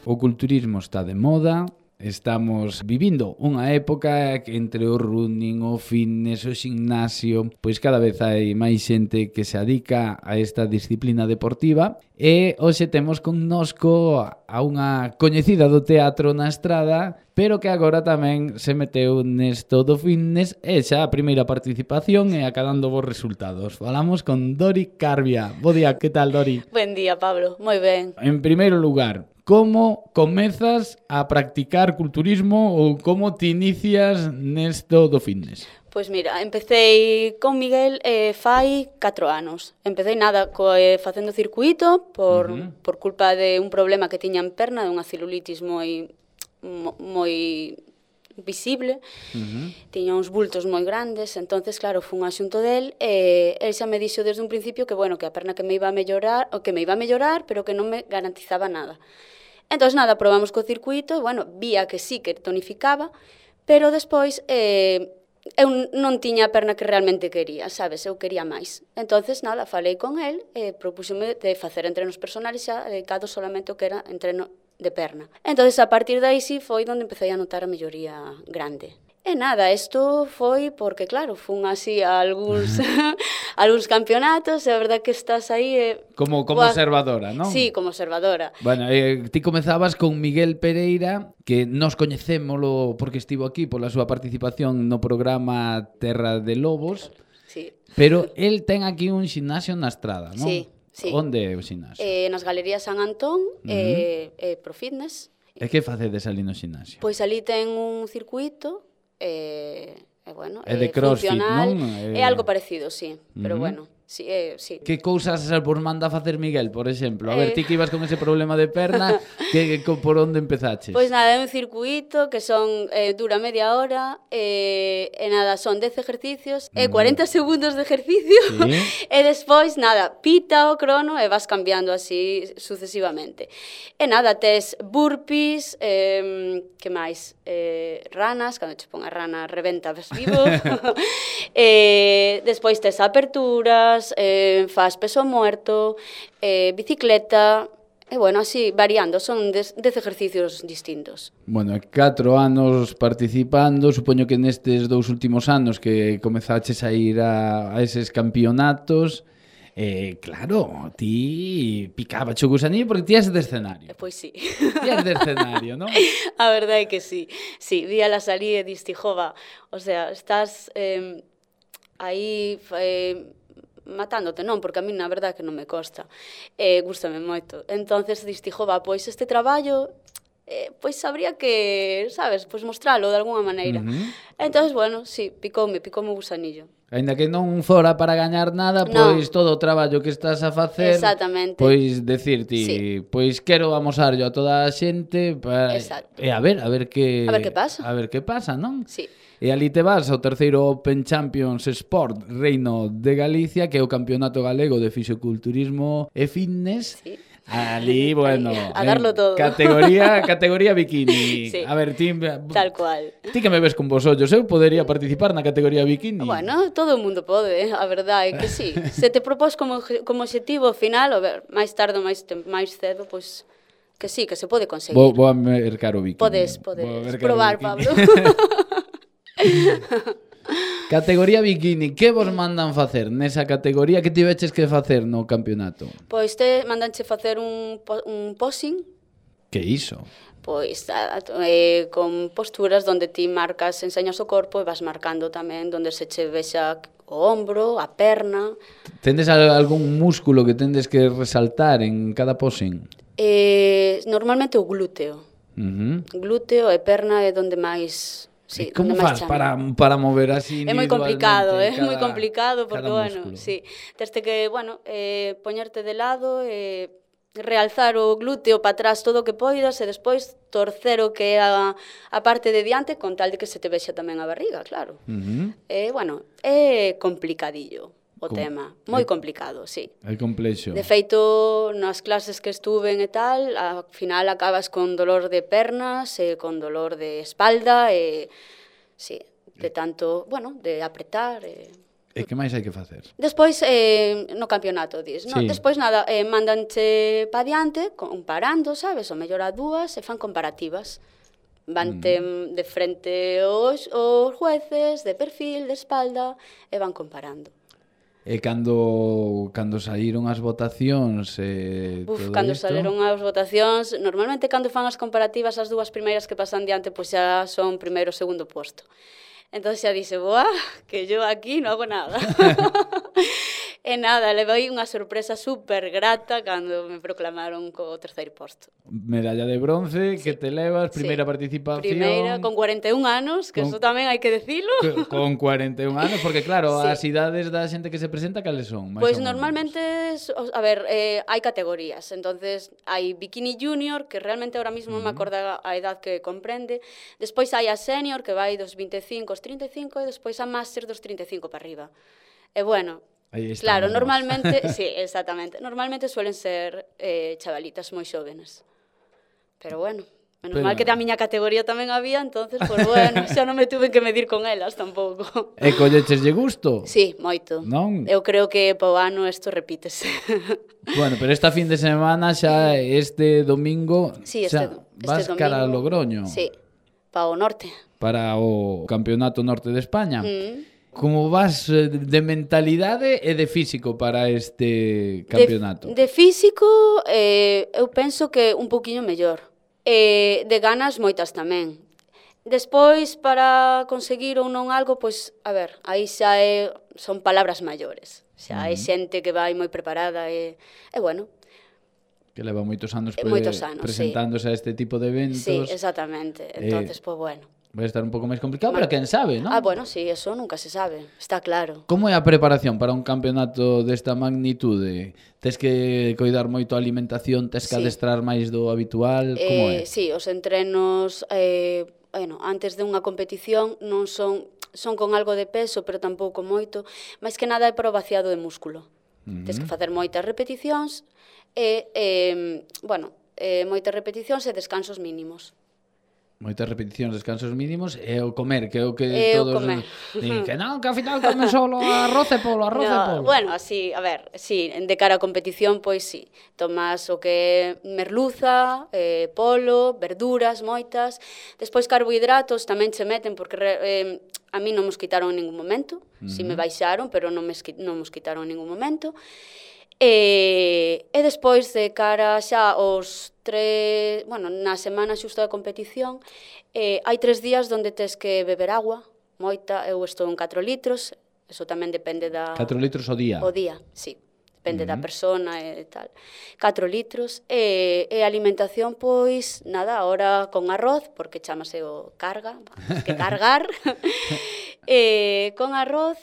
O culturismo está de moda, estamos vivindo unha época que entre o running, o fitness, o gimnasio, pois cada vez hai máis xente que se adica a esta disciplina deportiva e hoxe temos connosco a unha coñecida do teatro na estrada, pero que agora tamén se meteu nesto do fitness e xa a primeira participación e acadando bons resultados. Falamos con Dori Carbia. Bo día, que tal, Dori? Buen día, Pablo. Moi ben. En primeiro lugar, como comezas a practicar culturismo ou como te inicias nesto do fitness? Pois mira, empecé con Miguel fai 4 anos. Empecé facendo circuito por culpa de un problema que tiña en perna, de unha celulitis moi visible. Tiña uns bultos moi grandes, entonces claro, fun a xunto del e el xa me dixo desde un principio que bueno, que a perna que me iba a mellorar, pero que non me garantizaba nada. Entón, nada, probamos co circuito, bueno, vía que sí, que tonificaba, pero despois eu non tiña a perna que realmente quería, sabes? Eu quería máis. Entonces, nada, falei con el e propúxome de facer entrenos personales xa dedicados solamente ao que era entreno de perna. Entonces, a partir de aí sí foi onde empecé a notar a melloría grande. E nada, isto foi porque, claro, fun así a algúns campeonatos, e a verdad que estás aí... Como observadora, non? Sí, como observadora. Bueno, ti comezabas con Miguel Pereira, que nos coñecémolo porque estivo aquí pola súa participación no programa Terra de Lobos, sí. Pero el ten aquí un ximnasio na estrada, non? Sí, sí. Onde é o ximnasio? Nas Galerías San Antón, Pro Fitness. E que facedes ali no ximnasio? Pois ali ten un circuito, bueno, é de crossfit, funcional, non? É algo parecido, sí, pero bueno, sí, sí. Que cousas vos manda facer Miguel, por exemplo? A ver, ti que ibas con ese problema de perna, por onde empezaches? Pois nada, é un circuito que dura media hora, e nada, son 10 ejercicios, e 40 segundos de ejercicio, sí. E despois, nada, pita o crono e vas cambiando así sucesivamente. E nada, tes burpees, que máis? Ranas, cando che pon a rana reventa, ves vivo. Despois tes aperturas, faz peso muerto, bicicleta, e bueno, así variando, son 10 ejercicios distintos. Bueno, 4 anos participando, supoño que nestes 2 últimos anos que comezaches a ir a eses campeonatos, claro, ti picaba o gusanillo porque ti és de escenario. Pois sí. Ti és de escenario, non? A verdade é que sí. Sí, víala salir e diste, jova, o sea, estás aí matándote, non, porque a mí na verdade que non me costa. Gústame moito. Entonces diste, jova, pois este traballo pois habría que, sabes, pois mostralo de alguna maneira. Entonces, bueno, sí, picoume o gusanillo. Ainda que non fora para gañar nada, pois todo o traballo que estás a facer, pois decirti, pois quero amosarlo a toda a xente e a ver que pasa. A ver que pasa, non? Sí. E ali te vas ao terceiro Open Champions Sport Reino de Galicia, que é o campeonato galego de fisiculturismo e fitness. Sí. Ali, bueno, a darlo todo. Categoría bikini. Sí. A ver, ti tal cual. Ti que me ves con vos ollos, eu podería participar na categoría bikini. Bueno, todo o mundo pode, a verdade é que sí. Se te propós como objetivo final, a ver, máis tarde ou máis cedo, pois que sí, que se pode conseguir. Vou a mercar o bikini. Podes probar, Pablo. Categoría bikini, que vos mandan facer nesa categoría? Que tiveches que facer no campeonato? Pois mandanche facer un posing. Que iso? Pois con posturas onde ti marcas, enseñas o corpo e vas marcando tamén onde se che vexa o ombro, a perna. Tendes algún músculo que tendes que resaltar en cada posing? Normalmente o glúteo. Glúteo e perna é onde máis... Sí, como faz para mover así individualmente? É moi complicado porque, bueno, sí, teste que, bueno, poñerte de lado e realzar o glúteo para atrás todo o que poidas e despois torcer o que é a parte de diante con tal de que se te vexa tamén a barriga, claro. Bueno, é complicadillo o tema, moi complicado, sí. É complexo. De feito, nas clases que estuven e tal, ao final acabas con dolor de pernas e con dolor de espalda e, sí, de tanto, bueno, de apretar. E que máis hai que facer? Despois, no campeonato, dis, no? Sí. Despois, nada, mandanche pa diante, comparando, sabes? O mellor a dúas, e fan comparativas. Vante de frente os jueces, de perfil, de espalda, e van comparando. E cando saíron as votacións todo Cando isto... saleron as votacións, normalmente cando fan as comparativas, as dúas primeiras que pasan diante, pois xa son primeiro e segundo posto. Entón xa dixe, boa, que yo aquí non hago nada. E nada, levei unha sorpresa super grata cando me proclamaron co terceiro posto. Medalla de bronce, Sí. que te levas, primeira Sí. participación... Primeira, con 41 anos, que eso tamén hai que decilo. Con 41 anos, porque claro, Sí. as idades da xente que se presenta, cales son? Pois normalmente, a ver, hai categorías. Entonces, hai bikini junior, que realmente ahora mismo non me acordo a edad que comprende. Despois hai a senior, que vai dos 25 aos 35, e despois a máster dos 35 para arriba. E bueno, claro, normalmente, sí, exactamente. Normalmente suelen ser chavalitas moi xóvenes. Pero bueno, menos mal que da miña categoría tamén había, entonces, pues bueno, xa non me tuve que medir con elas tampouco. E collecheslle gusto? Sí, moito. Non? Eu creo que po ano isto repítese. Bueno, pero esta fin de semana xa este domingo Sí, xa vas domingo, cara a Logroño. Sí, pa o norte. Para o Campeonato Norte de España. Como vas de mentalidade e de físico para este campeonato? De físico, eu penso que un pouquiño mellor. De ganas, moitas tamén. Despois, para conseguir ou non algo, pois, a ver, aí xa son palabras maiores. Xa hai xente que vai moi preparada e bueno. Que leva moitos anos, presentándose a este tipo de eventos. Sí, exactamente. Entonces, pois bueno. Vai estar un pouco máis complicado, pero quen sabe, non? Bueno, sí, eso nunca se sabe, está claro. Como é a preparación para un campeonato desta magnitude? Tes que coidar moito a alimentación, tes que adestrar máis do habitual, como é? Sí, os entrenos, antes de unha competición non son con algo de peso, pero tampouco moito, máis que nada é para o vaciado de músculo. Tes que facer moitas repeticións moitas repeticións e descansos mínimos. Moitas repeticións, descansos mínimos e o comer, que é o que todos din que non, que ao final comen solo arroz e polo, arroz e polo. Bueno, así, a ver, sí, de cara a competición, pois sí, tomas o que é merluza, polo, verduras, moitas, despois carbohidratos tamén che meten, porque a mí non mos quitaron en ningún momento, si me baixaron, pero non mos quitaron en ningún momento. E despois de cara xa aos na semana xusto da competición, hai 3 días onde tes que beber agua, moita, eu estou en 4 litros, eso tamén depende da... 4 litros ao día? O día, sí, depende da persona e tal. 4 litros, e a alimentación, pois, nada, ahora con arroz, porque chamase o carga, que cargar, con arroz,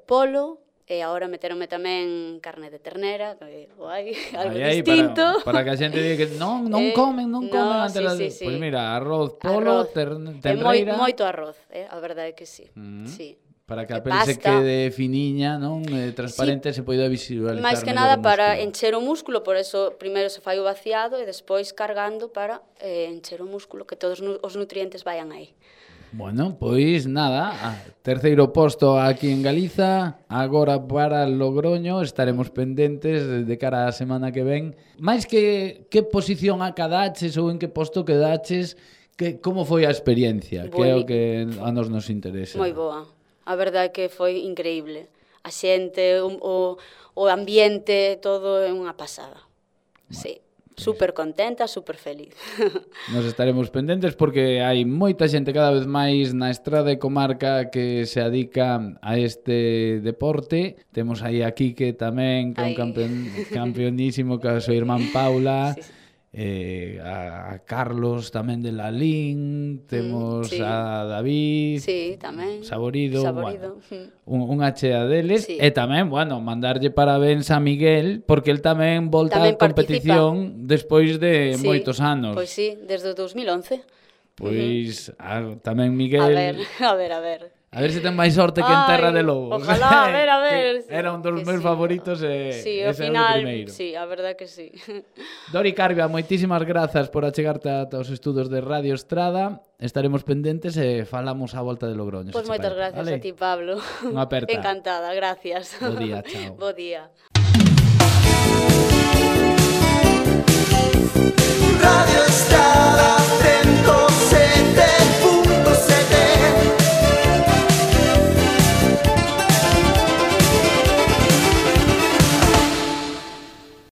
polo, e agora meteronme tamén carne de ternera, que guai, algo distinto. Para que a xente diga que non comen antes das... Pois mira, arroz, polo, ternera... Moito arroz, a verdade é que sí, sí. Para que a pel se quede finiña, non? Transparente, se poida visualizar. Máis que nada para encher o músculo, por eso primeiro se fai o vaciado e despois cargando para encher o músculo, que todos os nutrientes vayan aí. Bueno, pois nada, terceiro posto aquí en Galiza, agora para Logroño, estaremos pendentes de cara á semana que ven. Mais que posición acadaches ou en que posto quedaches, como foi a experiencia, que é o que a nos interesa. Moi boa, a verdade é que foi increíble. A xente, o ambiente, todo é unha pasada. Sí. Super contenta, super feliz. Nos estaremos pendentes porque hai moita xente cada vez máis na estrada e comarca que se adica a este deporte. Temos aí a Quique tamén, que é un campeonísimo, que é a súa irmán Paula. A Carlos tamén de Lalín, temos a David, tamén Saborido. Bueno, unha chea deles, e tamén, mandarlle parabéns a Miguel, porque el tamén volta a competición despois de moitos anos. Pois sí, desde o 2011. Pois tamén Miguel... A ver. A ver se ten máis sorte que en Terra de Lobos. Ojalá, a ver. Era un dos meus favoritos e sí, ese ao final, é o primeiro. sí, a verdad que sí. Dori Carbia, moitísimas grazas por achegarte ata os estudos de Radio Estrada. Estaremos pendentes e falamos á volta de Logroño. Pois moitas gracias a ti, Pablo. Unha aperta. Encantada, gracias. Bo día, chao. Bo día.